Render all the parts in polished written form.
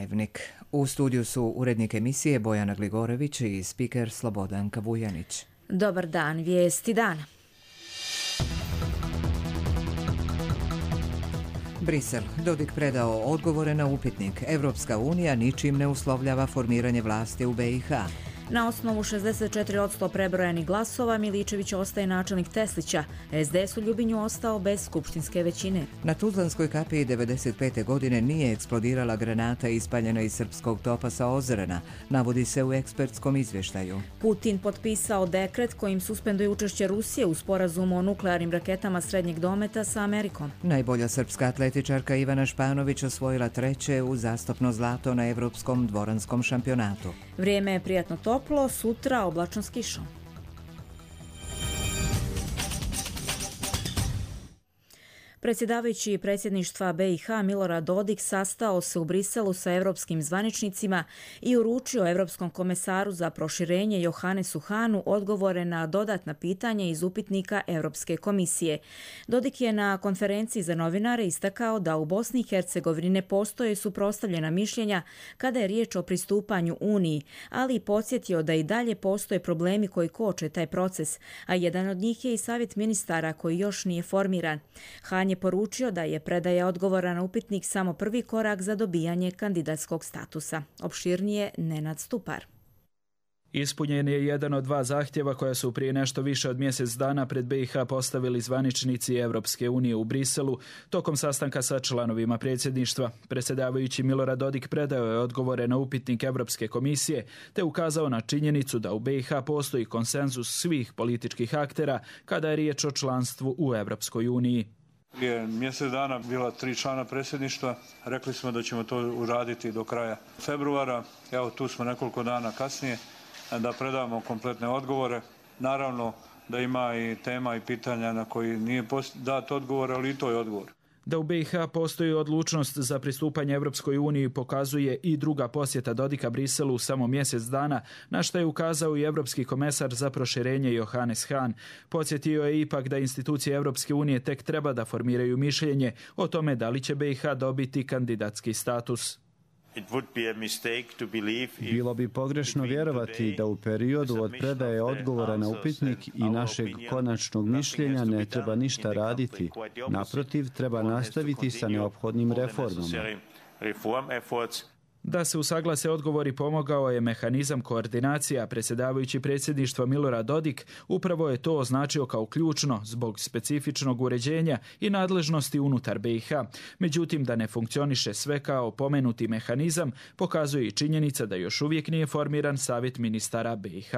Dnevnik. U studiju su urednik emisije Bojana Gligorević i spiker Slobodanka Vujanić. Dobar dan, vijesti dana. Brisel. Dodik predao odgovore na upitnik. Evropska unija ničim ne uslovljava formiranje vlasti u BiH. Na osnovu 64% prebrojanih glasova Miličević ostaje načelnik Teslića. SDS u Ljubinju ostao bez skupštinske većine. Na Tuzlanskoj kapiji 1995. godine nije eksplodirala granata ispaljena iz srpskog topa sa Ozrena, navodi se u ekspertskom izvještaju. Putin potpisao dekret kojim suspenduje učešće Rusije u sporazumu o nuklearnim raketama srednjeg dometa sa Amerikom. Najbolja srpska atletičarka Ivana Španović osvojila 3. uzastopno zlato na Evropskom dvoranskom šampionatu. Vrijeme je prijatno toplo, sutra oblačno s kišom. Predsjedavajući predsjedništva BiH Milorad Dodik sastao se u Briselu sa evropskim zvaničnicima i uručio Evropskom komesaru za proširenje Johannesu Hahnu odgovore na dodatna pitanja iz upitnika Europske komisije. Dodik je na konferenciji za novinare istakao da u Bosni i Hercegovini ne postoje suprotstavljena mišljenja kada je riječ o pristupanju Uniji, ali i podsjetio da i dalje postoje problemi koji koče taj proces, a jedan od njih je i savjet ministara koji još nije formiran. Hahn je poručio da je predaja odgovora na upitnik samo prvi korak za dobijanje kandidatskog statusa. Opširnije Nenad Stupar. Ispunjen je jedan od dva zahtjeva koja su prije nešto više od mjesec dana pred BiH postavili zvaničnici Evropske unije u Briselu tokom sastanka sa članovima predsjedništva. Predsjedavajući Milorad Dodik predao je odgovore na upitnik Evropske komisije te ukazao na činjenicu da u BiH postoji konsenzus svih političkih aktera kada je riječ o članstvu u Evropskoj uniji. Prije mjesec dana bila 3 člana predsjedništva. Rekli smo da ćemo to uraditi do kraja februara. Evo tu smo nekoliko dana kasnije da predamo kompletne odgovore. Naravno da ima i tema i pitanja na koji nije dat odgovor, ali i to je odgovor. Da u BiH postoji odlučnost za pristupanje Evropskoj uniji pokazuje i druga posjeta Dodika Briselu samo mjesec dana, na što je ukazao i Evropski komesar za proširenje Johannes Hahn. Podsjetio je ipak da institucije Evropske unije tek treba da formiraju mišljenje o tome da li će BiH dobiti kandidatski status. Bilo bi pogrešno vjerovati da u periodu od predaje odgovora na upitnik i našeg konačnog mišljenja ne treba ništa raditi. Naprotiv, treba nastaviti sa neophodnim reformama. Da se usaglase odgovori pomogao je mehanizam koordinacija. Predsjedavajući predsjedništva Milorad Dodik upravo je to označio kao ključno zbog specifičnog uređenja i nadležnosti unutar BiH. Međutim, da ne funkcioniše sve kao pomenuti mehanizam, pokazuje i činjenica da još uvijek nije formiran savjet ministara BiH.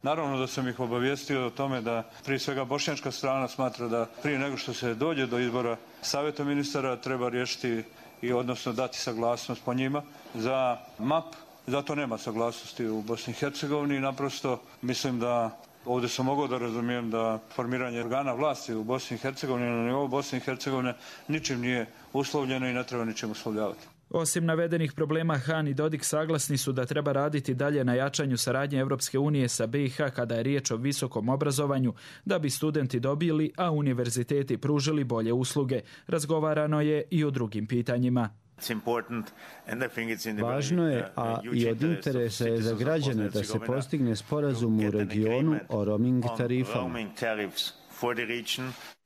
Naravno da sam ih obavijestio o tome da prije svega bošnjačka strana smatra da prije nego što se dođe do izbora savjeta ministara treba riješiti i odnosno dati saglasnost po njima za MAP. Zato nema saglasnosti u Bosni i Hercegovini. Naprosto mislim da ovdje sam mogao da razumijem da formiranje organa vlasti u Bosni i Hercegovini na nivou Bosne i Hercegovine ničim nije uslovljeno i ne treba ničim uslovljavati. Osim navedenih problema, Hahn i Dodik saglasni su da treba raditi dalje na jačanju saradnje Evropske unije sa BiH kada je riječ o visokom obrazovanju, da bi studenti dobili, a univerziteti pružili bolje usluge. Razgovarano je i o drugim pitanjima. Važno je, a i od interesa je za građane da se postigne sporazum u regionu o roaming tarifama.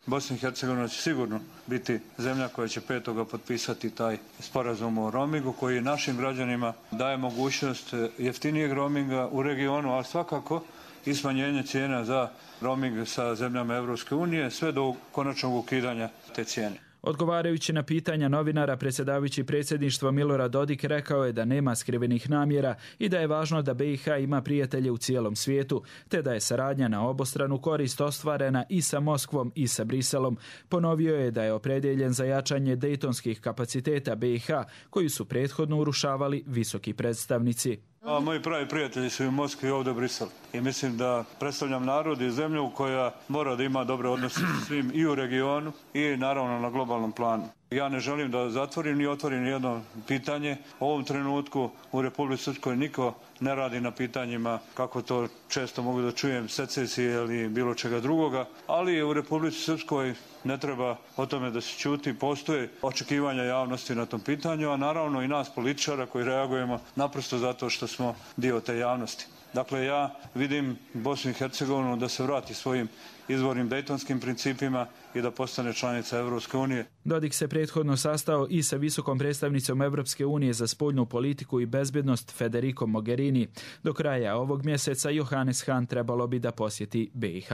Bosna i Hercegovina će sigurno biti zemlja koja će 5. potpisati taj sporazum o roamingu koji našim građanima daje mogućnost jeftinijeg roaminga u regionu, ali svakako i smanjenje cijena za roaming sa zemljama Evropske unije sve do konačnog ukidanja te cijene. Odgovarajući na pitanja novinara, predsjedavajući predsjedništva Milorad Dodik rekao je da nema skrivenih namjera i da je važno da BiH ima prijatelje u cijelom svijetu, te da je saradnja na obostranu korist ostvarena i sa Moskvom i sa Briselom. Ponovio je da je opredjeljen za jačanje dejtonskih kapaciteta BiH, koji su prethodno urušavali visoki predstavnici. Moji pravi prijatelji su i u Moskvi i ovdje u Briselu. I mislim da predstavljam narod i zemlju koja mora da ima dobre odnose s svim i u regionu i naravno na globalnom planu. Ja ne želim da zatvorim ni otvorim jedno pitanje. U ovom trenutku u Republici Srpskoj niko ne radi na pitanjima, kako to često mogu da čujem, secesije ili bilo čega drugoga, ali u Republici Srpskoj ne treba o tome da se ćuti. Postoje očekivanja javnosti na tom pitanju, a naravno i nas političara koji reagujemo naprosto zato što smo dio te javnosti. Dakle, ja vidim Bosnu i Hercegovinu da se vrati svojim izvornim dejtonskim principima i da postane članica Evropske unije. Dodik se prethodno sastao i sa visokom predstavnicom Evropske unije za spoljnu politiku i bezbednost Federico Mogherini. Do kraja ovog mjeseca Johannes Hahn trebalo bi da posjeti BiH.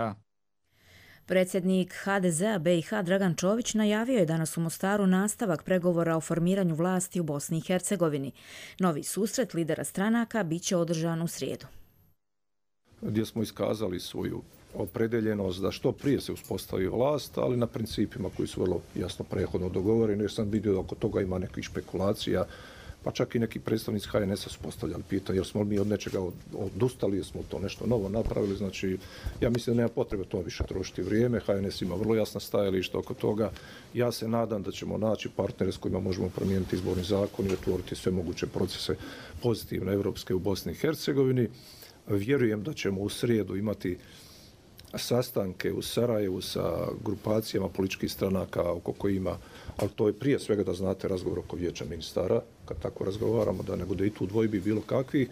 Predsjednik HDZ-a BiH Dragan Čović najavio je danas u Mostaru nastavak pregovora o formiranju vlasti u Bosni i Hercegovini. Novi susret lidera stranaka bit će održan u srijedu. Gdje smo iskazali svoju opredeljenost da što prije se uspostavi vlast, ali na principima koji su vrlo jasno prethodno dogovoreni, jer sam vidio da oko toga ima nekih špekulacija, pa čak i neki predstavnici HNS-a su postavljali pitanje, jer smo mi od nečega odustali, jer smo to nešto novo napravili, znači ja mislim da nema potrebe to više trošiti vrijeme, HNS ima vrlo jasna stajališta oko toga, ja se nadam da ćemo naći partnere s kojima možemo promijeniti izborni zakon i otvoriti sve moguće procese pozitivne evropske u Bosni i Hercegovini. Vjerujem da ćemo u srijedu imati sastanke u Sarajevu sa grupacijama političkih stranaka oko kojima, ali to je prije svega da znate razgovor oko vijeća ministara, kad tako razgovaramo, da ne bude i tu dvojbi bilo kakvi.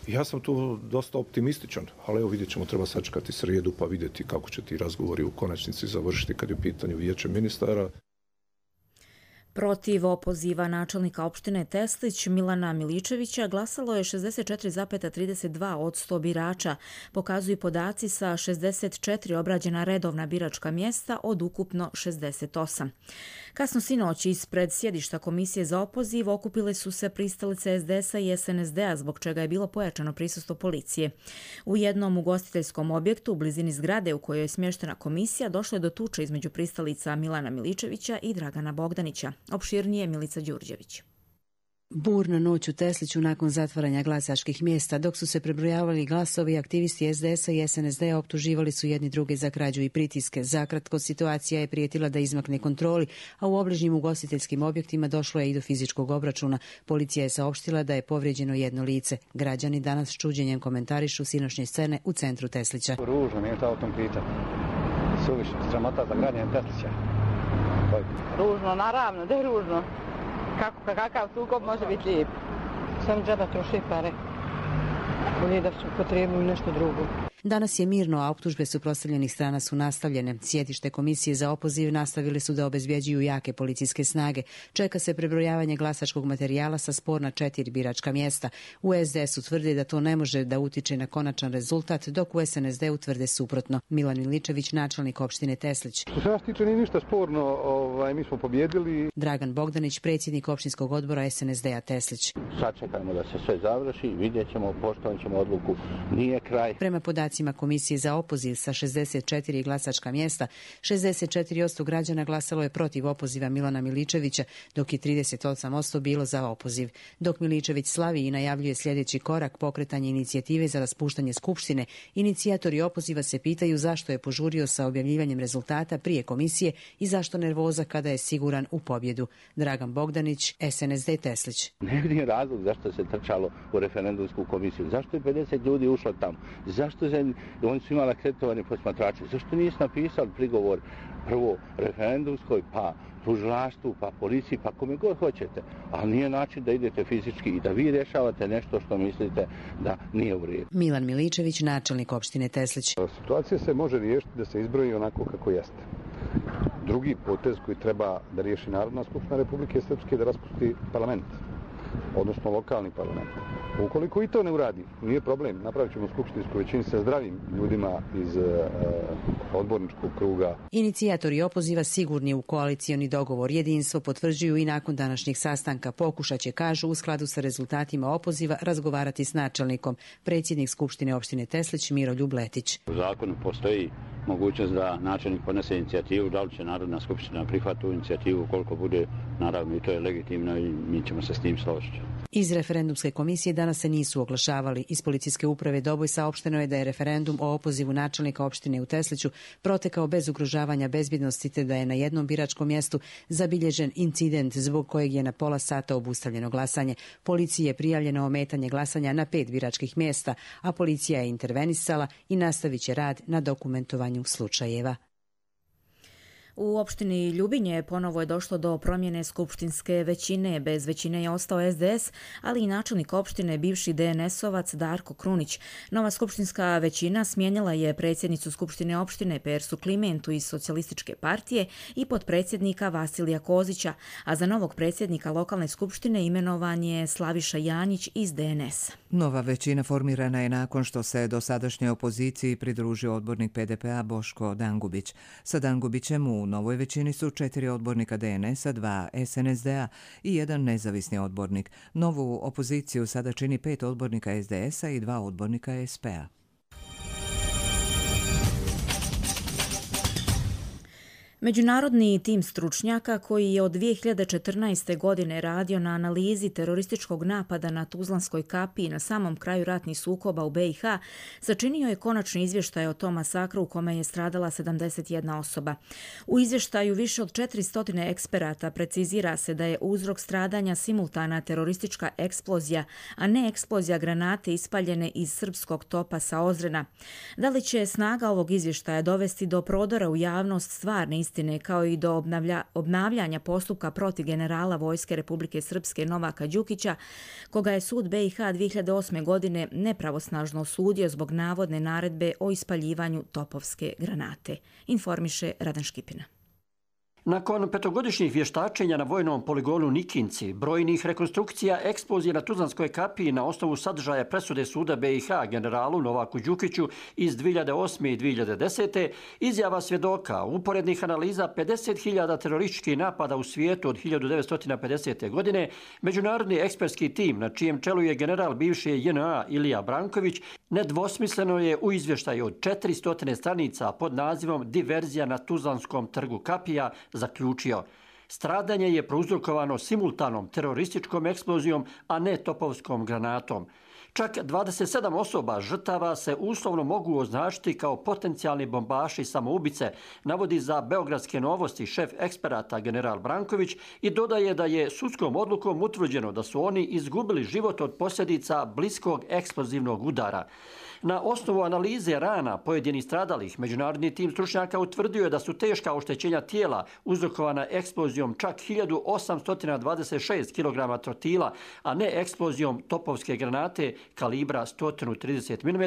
Ja sam tu dosta optimističan, ali evo vidjet ćemo, treba sačekati srijedu pa vidjeti kako će ti razgovori u konačnici završiti kad je u pitanju vijeće ministara. Protiv opoziva načelnika opštine Teslić Milana Miličevića glasalo je 64,32% birača, pokazuju podaci sa 64 obrađena redovna biračka mjesta od ukupno 68. Kasno sinoć ispred sjedišta Komisije za opoziv okupile su se pristalice SDS-a i SNSD-a, zbog čega je bilo pojačano prisustvo policije. U jednom ugostiteljskom objektu u blizini zgrade u kojoj je smještena komisija došlo je do tuče između pristalica Milana Miličevića i Dragana Bogdanića. Opširnije Milica Đurđević. Burna noć u Tesliću nakon zatvaranja glasačkih mjesta. Dok su se prebrojavali glasovi, aktivisti SDS-a i SNSD-a optuživali su jedni druge za krađu i pritiske. Zakratko, situacija je prijetila da izmakne kontroli, a u obližnjim ugostiteljskim objektima došlo je i do fizičkog obračuna. Policija je saopštila da je povrijeđeno jedno lice. Građani danas s čuđenjem komentarišu sinoćnje scene u centru Teslića. Ružno, nije to o tom pitanje. Suviše, sramota za građane Teslića. Ružno, naravno, da je ružno. Kakav sukob može biti lijep? Sam džaba troši pare. Bolje da su potrebili nešto drugo. Danas je mirno, a optužbe suprotstavljenih strana su nastavljene. Sjedište Komisije za opoziv nastavili su da obezbjeđuju jake policijske snage. Čeka se prebrojavanje glasačkog materijala sa sporna 4 biračka mjesta. U SDS-u tvrde da to ne može da utiče na konačan rezultat, dok u SNSD-u tvrde suprotno. Milan Miličević, načelnik opštine Teslić. Što se nas tiče nije ništa sporno, mi smo pobjedili. Dragan Bogdanić, predsjednik opštinskog odbora SNSD-a Teslić. Sačekajmo da se sve završi, vidjet ćemo, poštovat ćemo odluku, nije kraj. Prema podacima Komisije za opoziv sa 64 glasačka mjesta, 64% građana glasalo je protiv opoziva Milana Miličevića, dok je 38% bilo za opoziv. Dok Miličević slavi i najavljuje sljedeći korak, pokretanje inicijative za raspuštanje skupštine, inicijatori opoziva se pitaju zašto je požurio sa objavljivanjem rezultata prije komisije i zašto nervoza kada je siguran u pobjedu. Dragan Bogdanić, SNSD Teslić. Ne vidim razlog zašto se trčalo u referendumsku komisiju. Zašto je 50 ljudi ušlo tamo? Zašto oni su imali akreditovane posmatrače? Zašto nisi napisali prigovor prvo referendumskoj, pa tužilaštvu, pa policiji, pa kome god hoćete? Ali nije način da idete fizički i da vi rješavate nešto što mislite da nije u redu. Milan Miličević, načelnik opštine Teslić. Situacija se može riješiti da se izbroji onako kako jeste. Drugi potez koji treba da riješi Narodna skupština Republike Srpske je da raspusti parlament, odnosno lokalni parlament. Ukoliko i to ne uradi, nije problem, napravit ćemo skupštinsku većinu sa zdravim ljudima iz odborničkog kruga. Inicijatori opoziva sigurni u koalicioni dogovor. Jedinstvo potvrđuju i nakon današnjeg sastanka. Pokušat će, kažu, u skladu sa rezultatima opoziva razgovarati s načelnikom. Predsjednik Skupštine opštine Teslić Miroljub Letić. U zakonu postoji mogućnost da načelnik podnese inicijativu, da li će Narodna skupština prihvatiti tu inicijativu, koliko bude, naravno i to je legitimno i mi ćemo se s tim složiti. Iz referendumske komisije danas se nisu oglašavali. Iz policijske uprave Doboj saopšteno je da je referendum o opozivu načelnika opštine u Tesliću protekao bez ugrožavanja bezbjednosti, te da je na jednom biračkom mjestu zabilježen incident zbog kojeg je na pola sata obustavljeno glasanje. Policiji je prijavljeno ometanje glasanja na 5 biračkih mjesta, a policija je intervenisala i nastavit će rad na dokumentovanju slučajeva. U opštini Ljubinje ponovo je došlo do promjene skupštinske većine. Bez većine je ostao SDS, ali i načelnik opštine, bivši DNS-ovac Darko Krunić. Nova skupštinska većina smijenila je predsjednicu skupštine opštine Persu Klimentu iz Socijalističke partije i potpredsjednika Vasilija Kozića, a za novog predsjednika lokalne skupštine imenovan je Slaviša Janjić iz DNS. Nova većina formirana je nakon što se dosadašnjoj opoziciji pridružio odbornik PDP-a Boško Dangubić. Sa Dangubićem u novoj većini su 4 odbornika DNS-a, 2 SNSD-a i 1 nezavisni odbornik. Novu opoziciju sada čini 5 odbornika SDS-a i 2 odbornika SP-a. Međunarodni tim stručnjaka koji je od 2014. godine radio na analizi terorističkog napada na Tuzlanskoj kapiji na samom kraju ratnih sukoba u BiH sačinio je konačni izvještaj o tom masakru u kome je stradala 71 osoba. U izvještaju više od 400 eksperata precizira se da je uzrok stradanja simultana teroristička eksplozija, a ne eksplozija granate ispaljene iz srpskog topa sa Ozrena. Da li će snaga ovog izvještaja dovesti do prodora u javnost stvarne istine kao i do obnavljanja postupka protiv generala Vojske Republike Srpske Novaka Đukića, koga je sud BiH 2008. godine nepravosnažno osudio zbog navodne naredbe o ispaljivanju topovske granate, informiše Radan Škipina. Nakon 5-godišnjih vještačenja na vojnom poligonu Nikinci, brojnih rekonstrukcija eksplozije na Tuzlanskoj kapiji na osnovu sadržaja presude suda BiH generalu Novaku Đukiću iz 2008. i 2010. izjava svjedoka, uporednih analiza 50.000 terorističkih napada u svijetu od 1950. godine, međunarodni ekspertski tim na čijem čelu je general bivše JNA Ilija Branković nedvosmisleno je u izvještaju od 400 stranica pod nazivom Diverzija na Tuzlanskom trgu kapija zaključio: stradanje je prouzrokovano simultanom terorističkom eksplozijom, a ne topovskom granatom. Čak 27 osoba žrtava se uslovno mogu označiti kao potencijalni bombaši samoubice, navodi za Beogradske novosti šef eksperata general Branković i dodaje da je sudskom odlukom utvrđeno da su oni izgubili život od posljedica bliskog eksplozivnog udara. Na osnovu analize rana pojedinih stradalih, međunarodni tim stručnjaka utvrdio je da su teška oštećenja tijela uzrokovana eksplozijom čak 1826 kg trotila, a ne eksplozijom topovske granate kalibra 130 mm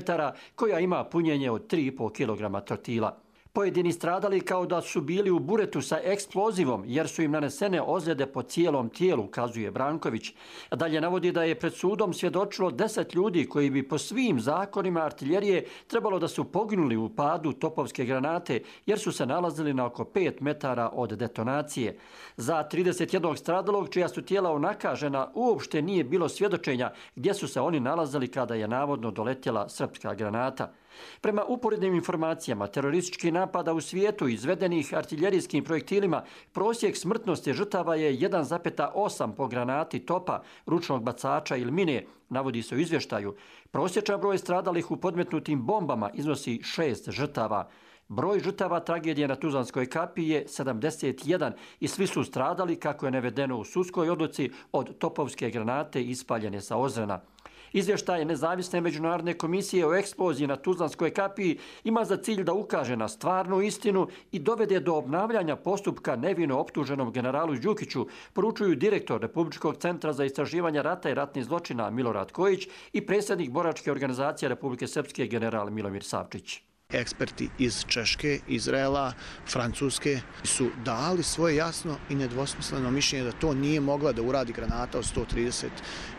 koja ima punjenje od 3,5 kg trotila. Pojedini stradali kao da su bili u buretu sa eksplozivom jer su im nanesene ozljede po cijelom tijelu, kazuje Branković. Dalje navodi da je pred sudom svjedočilo 10 ljudi koji bi po svim zakonima artiljerije trebalo da su poginuli u padu topovske granate jer su se nalazili na oko 5 metara od detonacije. Za 31 stradalog čija su tijela onakažena uopšte nije bilo svjedočenja gdje su se oni nalazili kada je navodno doletjela srpska granata. Prema uporednim informacijama terorističkih napada u svijetu izvedenih artiljerijskim projektilima, prosjek smrtnosti žrtava je 1,8 po granati topa, ručnog bacača ili mine, navodi se u izvještaju. Prosječan broj stradalih u podmetnutim bombama iznosi 6 žrtava. Broj žrtava tragedije na Tuzlanskoj kapiji je 71 i svi su stradali, kako je navedeno u sudskoj odluci, od topovske granate ispaljene sa Ozrena. Izvještaj nezavisne međunarodne komisije o eksploziji na Tuzlanskoj kapiji ima za cilj da ukaže na stvarnu istinu i dovede do obnavljanja postupka nevino optuženom generalu Đukiću, poručuju direktor Republičkog centra za istraživanje rata i ratnih zločina Milorad Kojić i predsjednik boračke organizacije Republike Srpske general Milomir Savčić. Eksperti iz Češke, Izraela, Francuske su dali svoje jasno i nedvosmisleno mišljenje da to nije mogla da uradi granata od 130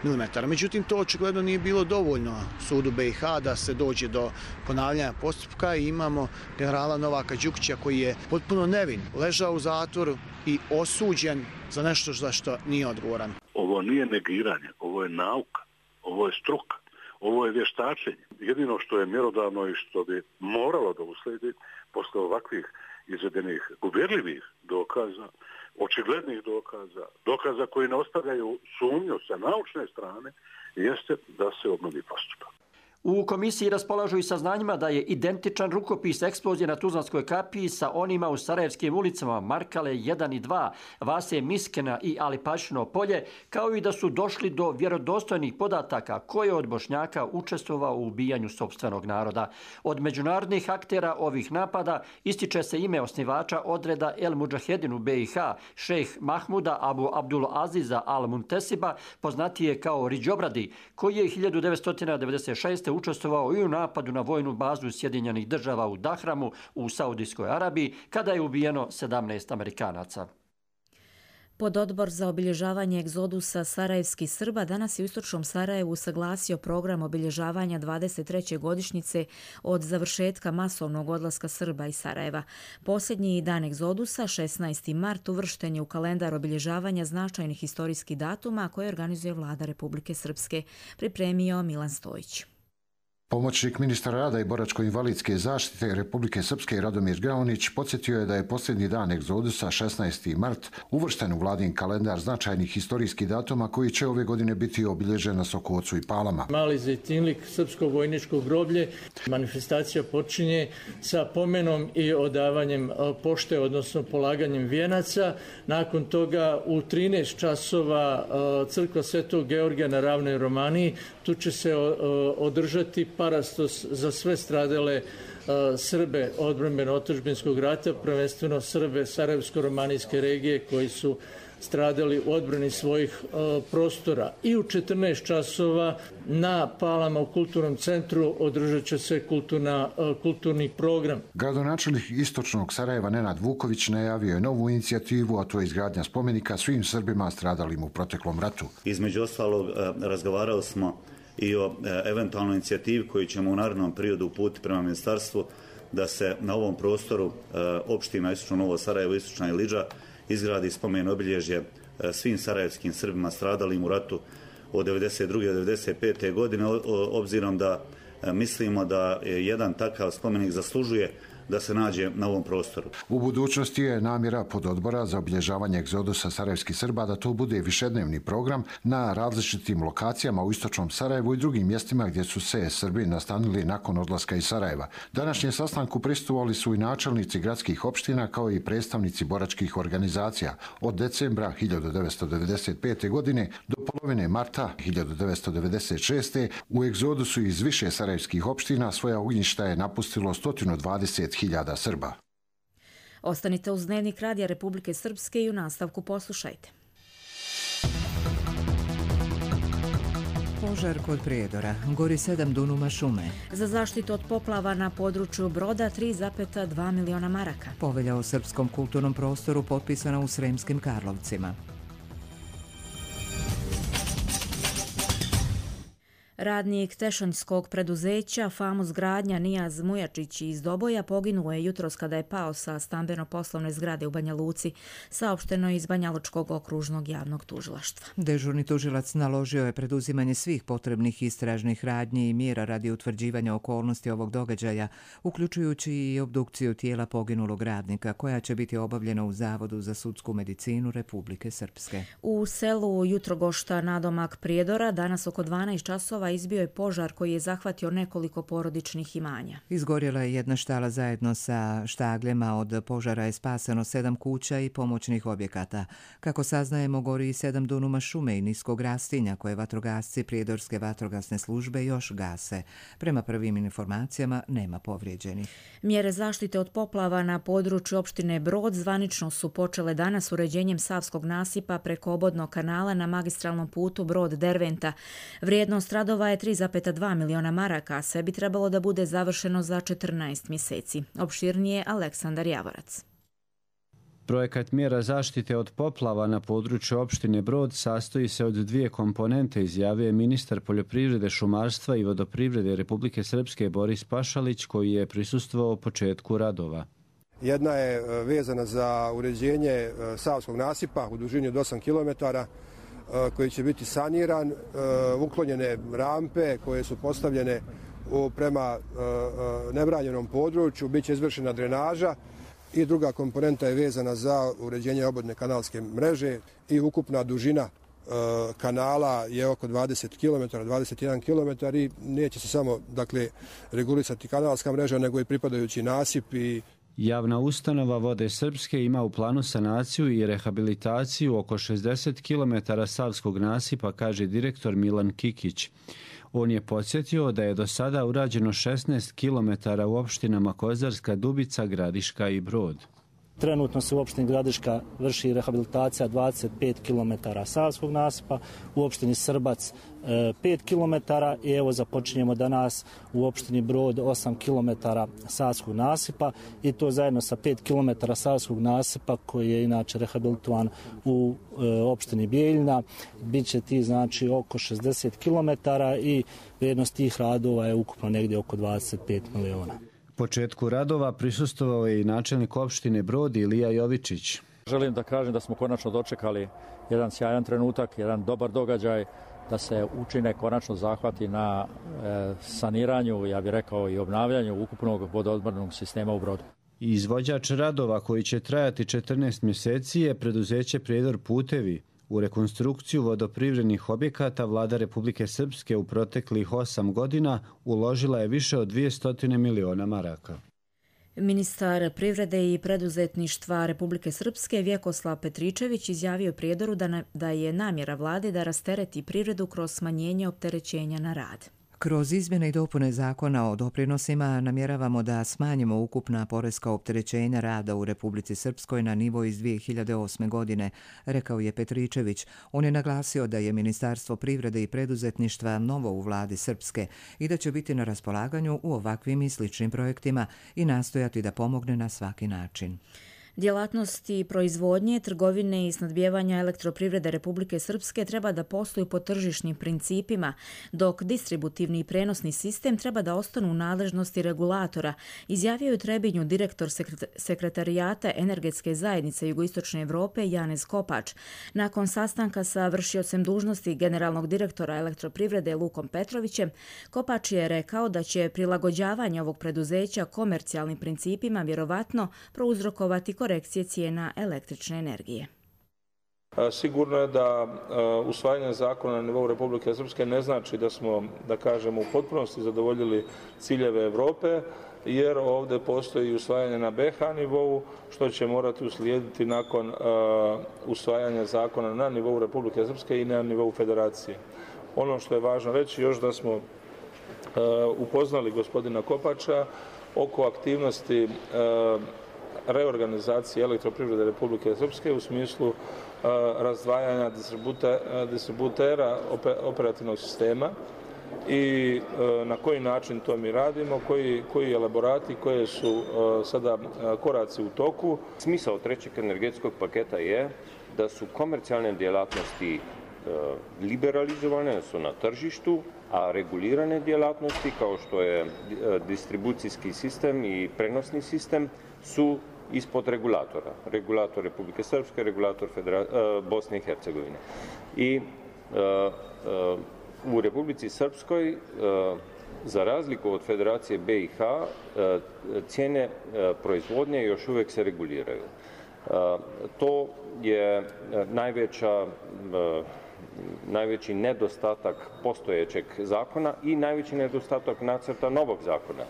mm. Međutim, to očigledno nije bilo dovoljno sudu BiH da se dođe do ponavljanja postupka i imamo generala Novaka Đukića koji je potpuno nevin, ležao u zatvoru i osuđen za nešto za što nije odgovoran. Ovo nije negiranje, ovo je nauka, ovo je struka. Ovo je vještačenje. Jedino što je mjerodavno i što bi moralo da usledi posle ovakvih izvedenih uvjerljivih dokaza, očiglednih dokaza koji ne ostavljaju sumnju sa naučne strane, jeste da se obnovi postupak. U komisiji raspolažu i saznanjima da je identičan rukopis eksplozije na Tuzlanskoj kapiji sa onima u Sarajevskim ulicama Markale 1 i 2, Vase Miskena i Alipašino polje, kao i da su došli do vjerodostojnih podataka ko je od Bošnjaka učestvovao u ubijanju sopstvenog naroda. Od međunarodnih aktera ovih napada ističe se ime osnivača odreda El Mudžahedin u BiH, šejh Mahmuda Abu Abdul Aziza Al Muntesiba, poznatije kao Riđobradi, koji je 1996. učestvovao i u napadu na vojnu bazu Sjedinjenih država u Dahramu u Saudijskoj Arabiji, kada je ubijeno 17 Amerikanaca. Pododbor za obilježavanje egzodusa sarajevskih Srba danas je u istočnom Sarajevu usaglasio program obilježavanja 23. godišnjice od završetka masovnog odlaska Srba iz Sarajeva. Posljednji dan egzodusa, 16. mart, uvršten je u kalendar obilježavanja značajnih historijskih datuma koje organizuje Vlada Republike Srpske, pripremio Milan Stojić. Pomoćnik ministra rada i boračko-invalidske zaštite Republike Srpske Radomir Graunić podsjetio je da je posljednji dan egzodusa, 16. mart, uvršten u vladin kalendar značajnih historijskih datuma koji će ove godine biti obilježen na Sokocu i Palama. Mali Zejtinlik, srpsko vojničko groblje. Manifestacija počinje sa pomenom i odavanjem pošte, odnosno polaganjem vijenaca. Nakon toga u 13 časova crkva Svetog Georgija na Ravnoj Romaniji. Tu će se održati parastos za sve stradale Srbe odbrambeno-otadžbinskog rata, prvenstveno Srbe Sarajevsko-romanijske regije koji su stradali u odbrani svojih prostora. I u 14 časova na Palama u kulturnom centru održat će se kulturni program. Gradonačelnik istočnog Sarajeva Nenad Vuković najavio je novu inicijativu, a to je izgradnja spomenika svim Srbima stradalim u proteklom ratu. Između ostalog razgovarali smo i o eventualnoj inicijativi koju ćemo u narednom periodu uputiti prema ministarstvu da se na ovom prostoru opština Istočno Novo Sarajevo, Istočna Ilidža izgradi spomen obilježje svim sarajevskim Srbima stradalim u ratu od 1992. do 1995. godine, obzirom da mislimo da jedan takav spomenik zaslužuje da se nađe na ovom prostoru. U budućnosti je namjera pododbora za obilježavanje egzodusa sarajevskih Srba da to bude višednevni program na različitim lokacijama u istočnom Sarajevu i drugim mjestima gdje su se Srbi nastanili nakon odlaska iz Sarajeva. Današnjem sastanku prisustvovali su i načelnici gradskih opština kao i predstavnici boračkih organizacija. Od decembra 1995. godine do polovine marta 1996. u egzodusu iz više sarajevskih opština svoja ognjišta je napustilo 120.000 Srba. Ostanite uz Dnevnik Radija Republike Srpske i u nastavku poslušajte. Požar kod Prijedora. Gori 7 dunuma šume. Za zaštitu od poplava na području Broda 3,2 miliona maraka. Povelja o srpskom kulturnom prostoru potpisana u Sremskim Karlovcima. Radnik tešanjskog preduzeća Famus Gradnja Nijaz Mujačić iz Doboja poginuo je jutros kada je pao sa stambeno-poslovne zgrade u Banja Luci, saopšteno iz Banjalučkog okružnog javnog tužilaštva. Dežurni tužilac naložio je preduzimanje svih potrebnih istražnih radnji i mjera radi utvrđivanja okolnosti ovog događaja, uključujući i obdukciju tijela poginulog radnika, koja će biti obavljena u Zavodu za sudsku medicinu Republike Srpske. U selu Jutrogošta nadomak Prijedora danas oko 12 časova izbio je požar koji je zahvatio nekoliko porodičnih imanja. Izgorjela je jedna štala zajedno sa štagljema. Od požara je spaseno 7 kuća i pomoćnih objekata. Kako saznajemo, gori i 7 dunuma šume i niskog rastinja koje vatrogasci Prijedorske vatrogasne službe još gase. Prema prvim informacijama nema povrijeđenih. Mjere zaštite od poplava na području opštine Brod zvanično su počele danas uređenjem Savskog nasipa preko obodnog kanala na magistralnom putu Brod-Derventa. Vrijednost radova je 3,2 miliona maraka, a sve bi trebalo da bude završeno za 14 mjeseci. Opširnije Aleksandar Javorac. Projekat mjera zaštite od poplava na području opštine Brod sastoji se od 2 komponente, izjavio je ministar poljoprivrede, šumarstva i vodoprivrede Republike Srpske Boris Pašalić, koji je prisustvovao početku radova. Jedna je vezana za uređenje Savskog nasipa u dužini od 8 km, koji će biti saniran, uklonjene rampe koje su postavljene prema nebranjenom području, bit će izvršena drenaža i druga komponenta je vezana za uređenje obodne kanalske mreže i ukupna dužina kanala je oko 20 km, 21 km i neće se samo regulisati kanalska mreža, nego i pripadajući nasip. Javna ustanova Vode Srpske ima u planu sanaciju i rehabilitaciju oko 60 km savskog nasipa, kaže direktor Milan Kikić. On je podsjetio da je do sada urađeno 16 km u opštinama Kozarska, Dubica, Gradiška i Brod. Trenutno se u opštini Gradiška vrši rehabilitacija 25 km savskog nasipa, u opštini Srbac 5 km i evo započinjemo danas u opštini Brod 8 km savskog nasipa i to zajedno sa 5 km savskog nasipa koji je inače rehabilitovan u opštini Bijeljina. Biće ti znači oko 60 km i vrijednost tih radova je ukupno negdje oko 25 miliona. Početku radova prisustvovao je i načelnik opštine Brod Ilija Jovičić. Želim da kažem da smo konačno dočekali jedan sjajan trenutak, jedan dobar događaj, da se učine konačno zahvati na saniranju, ja bih rekao i obnavljanju ukupnog vodoodvodnog sistema u Brodu. Izvođač radova koji će trajati 14 mjeseci je preduzeće Prijedor putevi. U rekonstrukciju vodoprivrednih objekata vlada Republike Srpske u proteklih 8 godina uložila je više od 200 miliona maraka. Ministar privrede i preduzetništva Republike Srpske Vjekoslav Petričević izjavio Prijedoru da je namjera vlade da rastereti privredu kroz smanjenje opterećenja na rad. Kroz izmjene i dopune zakona o doprinosima namjeravamo da smanjimo ukupna poreska opterećenja rada u Republici Srpskoj na nivo iz 2008. godine, rekao je Petričević. On je naglasio da je Ministarstvo privrede i preduzetništva novo u vladi Srpske i da će biti na raspolaganju u ovakvim i sličnim projektima i nastojati da pomogne na svaki način. Djelatnosti proizvodnje, trgovine i snadbijevanja Elektroprivrede Republike Srpske treba da posluju po tržišnim principima, dok distributivni i prenosni sistem treba da ostanu u nadležnosti regulatora, izjavio je u Trebinju direktor Sekretarijata Energetske zajednice Jugoistočne Evrope Janez Kopač. Nakon sastanka sa vršiocem dužnosti generalnog direktora Elektroprivrede Lukom Petrovićem, Kopač je rekao da će prilagođavanje ovog preduzeća komercijalnim principima vjerovatno prouzrokovati korekcije cijena električne energije. Sigurno je da usvajanje zakona na nivou Republike Srpske ne znači da smo, da kažemo, u potpunosti zadovoljili ciljeve Evrope, jer ovdje postoji usvajanje na BH nivou, što će morati uslijediti nakon usvajanja zakona na nivou Republike Srpske i na nivou Federacije. Ono što je važno reći još da smo upoznali gospodina Kopača oko aktivnosti reorganizacije Elektroprivrede Republike Srpske u smislu razdvajanja distributera operativnog sistema i na koji način to mi radimo, koji elaborati, koje su sada koraci u toku. Smisao trećeg energetskog paketa je da su komercijalne djelatnosti liberalizovane, su na tržištu, a regulirane djelatnosti kao što je distribucijski sistem i prenosni sistem su ispod regulatora. Regulator Republike Srpske, regulator Bosne i Hercegovine. I u Republici Srpskoj, za razliku od Federacije BiH, cijene proizvodnje još uvijek se reguliraju. To je najveći nedostatak postojećeg zakona i najveći nedostatak nacrta novog zakona.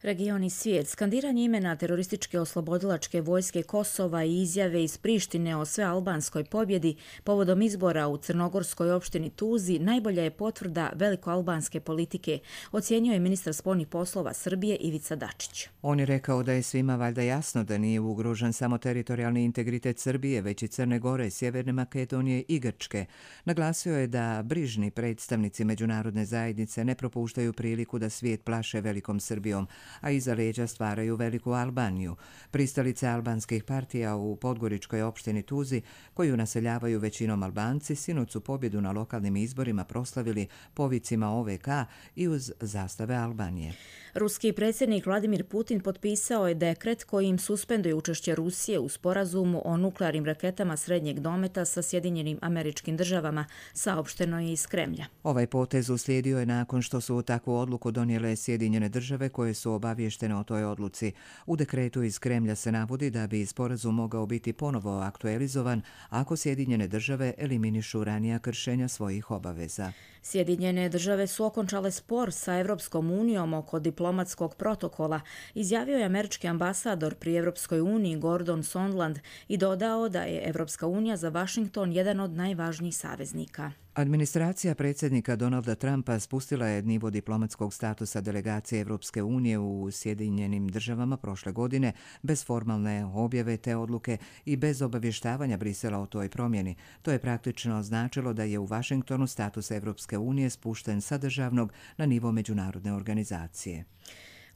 Region i svijet. Skandiranje imena terorističke oslobodilačke vojske Kosova i izjave iz Prištine o svealbanskoj pobjedi povodom izbora u crnogorskoj opštini Tuzi najbolja je potvrda velikoalbanske politike, ocijenio je ministar spoljnih poslova Srbije Ivica Dačić. On je rekao da je svima valjda jasno da nije ugrožen samo teritorijalni integritet Srbije, već i Crne Gore, Sjeverne Makedonije i Grčke. Naglasio je da brižni predstavnici međunarodne zajednice ne propuštaju priliku da svijet plaše velikom Srbijom, a iza leđa stvaraju veliku Albaniju. Pristalice albanskih partija u podgoričkoj opštini Tuzi, koju naseljavaju većinom Albanci, sinoć su pobjedu na lokalnim izborima proslavili povicima OVK i uz zastave Albanije. Ruski predsjednik Vladimir Putin potpisao je dekret kojim suspenduje učešće Rusije u sporazumu o nuklearnim raketama srednjeg dometa sa Sjedinjenim Američkim Državama, saopšteno je iz Kremlja. Ovaj potez uslijedio je nakon što su takvu odluku donijele Sjedinjene Države koje su obavještene o toj odluci. U dekretu iz Kremlja se navodi da bi sporazum mogao biti ponovo aktualizovan ako Sjedinjene Države eliminišu ranija kršenja svojih obaveza. Sjedinjene Države su okončale spor sa Evropskom unijom oko diplomatskog protokola, izjavio je američki ambasador pri Evropskoj uniji Gordon Sondland i dodao da je Evropska unija za Washington jedan od najvažnijih saveznika. Administracija predsjednika Donalda Trumpa spustila je nivo diplomatskog statusa delegacije Evropske unije u Sjedinjenim Državama prošle godine bez formalne objave te odluke i bez obavještavanja Brisela o toj promjeni. To je praktično značilo da je u Washingtonu status Evropske unije spušten sa državnog na nivo međunarodne organizacije.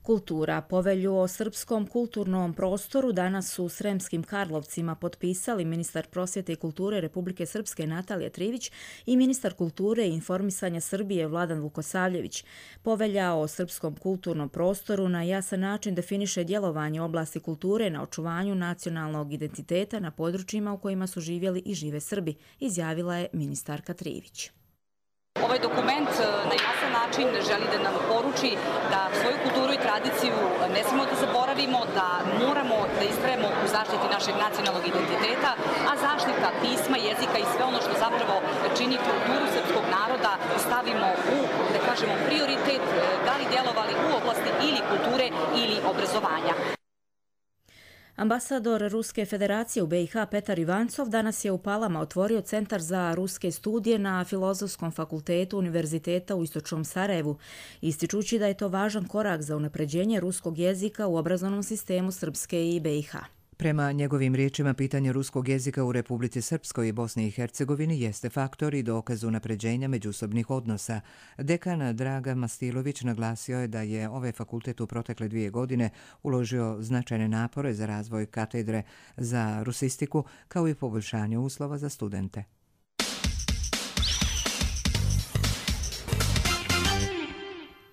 Kultura. Povelju o srpskom kulturnom prostoru danas su u Sremskim Karlovcima potpisali ministar prosvjete i kulture Republike Srpske Natalija Trivić i ministar kulture i informisanja Srbije Vladan Vukosavljević. Povelja o srpskom kulturnom prostoru na jasan način definiše djelovanje oblasti kulture na očuvanju nacionalnog identiteta na područjima u kojima su živjeli i žive Srbi, izjavila je ministarka Trivić. Ovaj dokument na jasan način želi da nam poruči da svoju kulturu i tradiciju ne smemo da zaboravimo, da moramo da istrajemo u zaštiti našeg nacionalnog identiteta, a zaštita pisma, jezika i sve ono što zapravo čini kulturu srpskog naroda stavimo u, da kažemo, prioritet, da li djelovali u oblasti ili kulture ili obrazovanja. Ambasador Ruske federacije u BiH Petar Ivancov danas je u Palama otvorio Centar za ruske studije na Filozofskom fakultetu Univerziteta u Istočnom Sarajevu, ističući da je to važan korak za unapređenje ruskog jezika u obrazovnom sistemu Srpske i BiH. Prema njegovim riječima, pitanje ruskog jezika u Republici Srpskoj i Bosni i Hercegovini jeste faktor i dokaz unapređenja međusobnih odnosa. Dekan Draga Mastilović naglasio je da je ovaj fakultet u protekle 2 godine uložio značajne napore za razvoj katedre za rusistiku, kao i poboljšanje uslova za studente.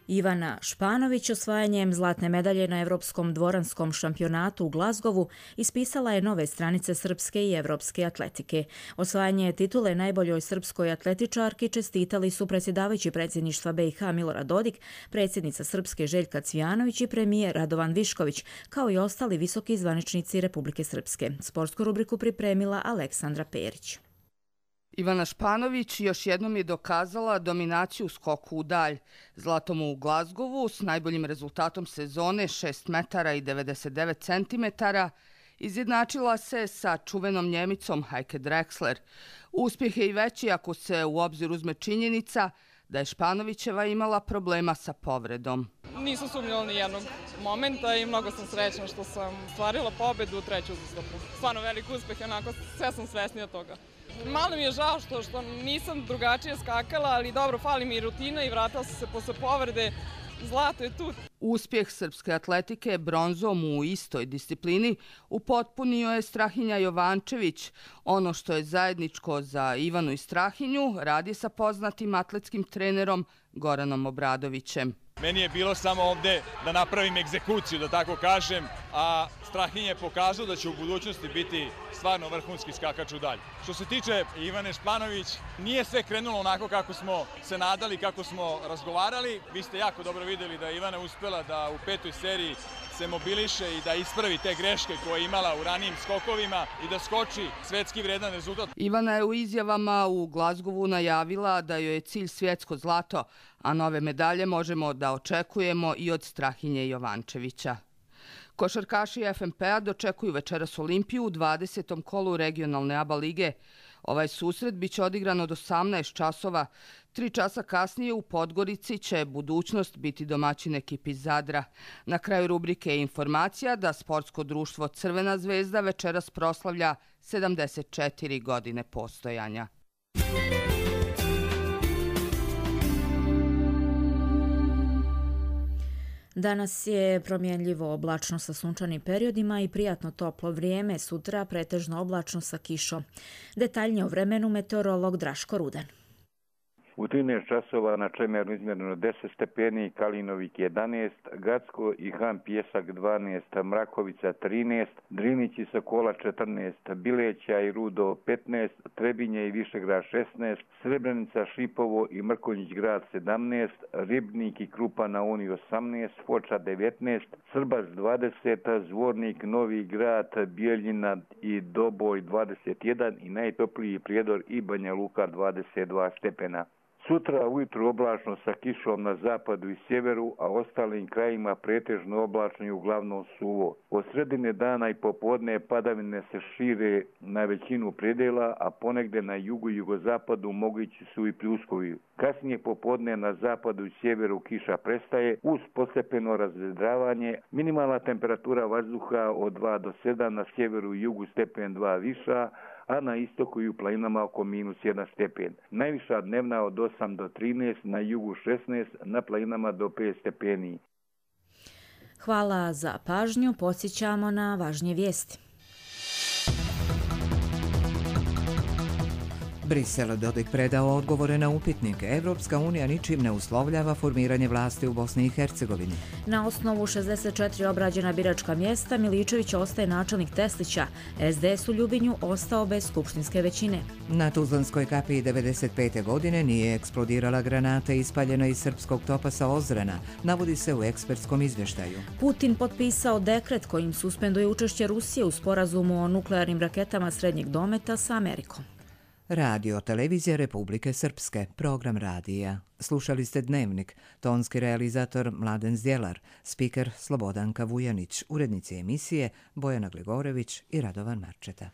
Ivana Španović osvajanjem zlatne medalje na Evropskom dvoranskom šampionatu u Glazgovu ispisala je nove stranice srpske i evropske atletike. Osvajanje titule najboljoj srpskoj atletičarki čestitali su predsjedavajući predsjedništva BiH Milorad Dodik, predsjednica Srpske Željka Cvijanović i premijer Radovan Višković, kao i ostali visoki zvaničnici Republike Srpske. Sportsku rubriku pripremila Aleksandra Perić. Ivana Španović još jednom je dokazala dominaciju u skoku u dalj. Zlatom u Glazgovu s najboljim rezultatom sezone 6 metara i 99 centimetara izjednačila se sa čuvenom Njemicom Heike Drexler. Uspjeh je i veći ako se u obzir uzme činjenica da je Španovićeva imala problema sa povredom. Nisam sumnjala ni jednog momenta i mnogo sam srećna što sam stvarila pobedu u 3. uzastopnu. Stvarno velik uspjeh, onako sve sam svesnija toga. Malo mi je žao što nisam drugačije skakala, ali dobro, fali mi rutina i vratila sam se posle povrede. Zlato je tu. Uspjeh srpske atletike bronzom u istoj disciplini upotpunio je Strahinja Jovančević. Ono što je zajedničko za Ivanu i Strahinju radi sa poznatim atletskim trenerom Goranom Obradovićem. Meni je bilo samo ovdje da napravim egzekuciju, da tako kažem, a Strahinja je pokazao da će u budućnosti biti stvarno vrhunski skakač u dalj. Što se tiče Ivane Španović, nije sve krenulo onako kako smo se nadali, kako smo razgovarali. Vi ste jako dobro vidjeli da je Ivana uspjela da u 5. seriji se mobiliše i da ispravi te greške koje je imala u ranijim skokovima i da skoči svetski vredan rezultat. Ivana je u izjavama u Glazgovu najavila da joj je cilj svjetsko zlato, a nove medalje možemo da očekujemo i od Strahinje Jovančevića. Košarkaši FNP-a dočekuju večeras Olimpiju u 20. kolu regionalne ABA lige. Ovaj susret biće odigran od 18 časova. 3 časa kasnije u Podgorici će Budućnost biti domaćin ekipi Zadra. Na kraju rubrike je informacija da sportsko društvo Crvena zvezda večeras proslavlja 74 godine postojanja. Danas je promjenljivo oblačno sa sunčanim periodima i prijatno toplo vrijeme, sutra pretežno oblačno sa kišom. Detaljnije o vremenu meteorolog Draško Rudan. U 13 časova na Čemeru izmjereno 10 stepeni, Kalinovik 11, Gacko i Han Pjesak 12, Mrakovica 13, Drinić i Sokola 14, Bileća i Rudo 15, Trebinje i Višegrad 16, Srebrenica, Šipovo i Mrkonjić grad 17, Ribnik i Krupa na Uni 18, Foča 19, Srbac 20, Zvornik, Novi grad, Bijeljina i Doboj 21 i najtopliji Prijedor i Banja Luka 22 stepena. Sutra ujutru oblačno sa kišom na zapadu i sjeveru, a ostalim krajima pretežno oblačno i uglavnom suvo. Od sredine dana i popodne padavine se šire na većinu predela, a ponegde na jugu i jugozapadu mogući su i pljuskovi. Kasnije popodne na zapadu i sjeveru kiša prestaje uz postepeno razvedravanje. Minimalna temperatura vazduha od 2 do 7, na sjeveru i jugu stepen 2 viša, a na istoku i u planinama oko -1 stepen. Najviša dnevna od 8 do 13, na jugu 16, na planinama do 5 stepeni. Hvala za pažnju, podsjećamo na važnije vijesti. Brisel Dodik predao odgovore na upitnike. Evropska unija ničim ne uslovljava formiranje vlasti u Bosni i Hercegovini. Na osnovu 64 obrađena biračka mjesta Miličević ostaje načelnik Teslića. SDS u Ljubinju ostao bez skupštinske većine. Na Tuzlanskoj kapiji 95. godine nije eksplodirala granata ispaljena iz srpskog topasa Ozrena, navodi se u ekspertskom izvještaju. Putin potpisao dekret kojim suspenduje učešće Rusije u sporazumu o nuklearnim raketama srednjeg dometa sa Amerikom. Radio Televizija Republike Srpske, program radija. Slušali ste Dnevnik, tonski realizator Mladen Zdjelar, spiker Slobodanka Vujanić, urednici emisije Bojana Gligorević i Radovan Marčeta.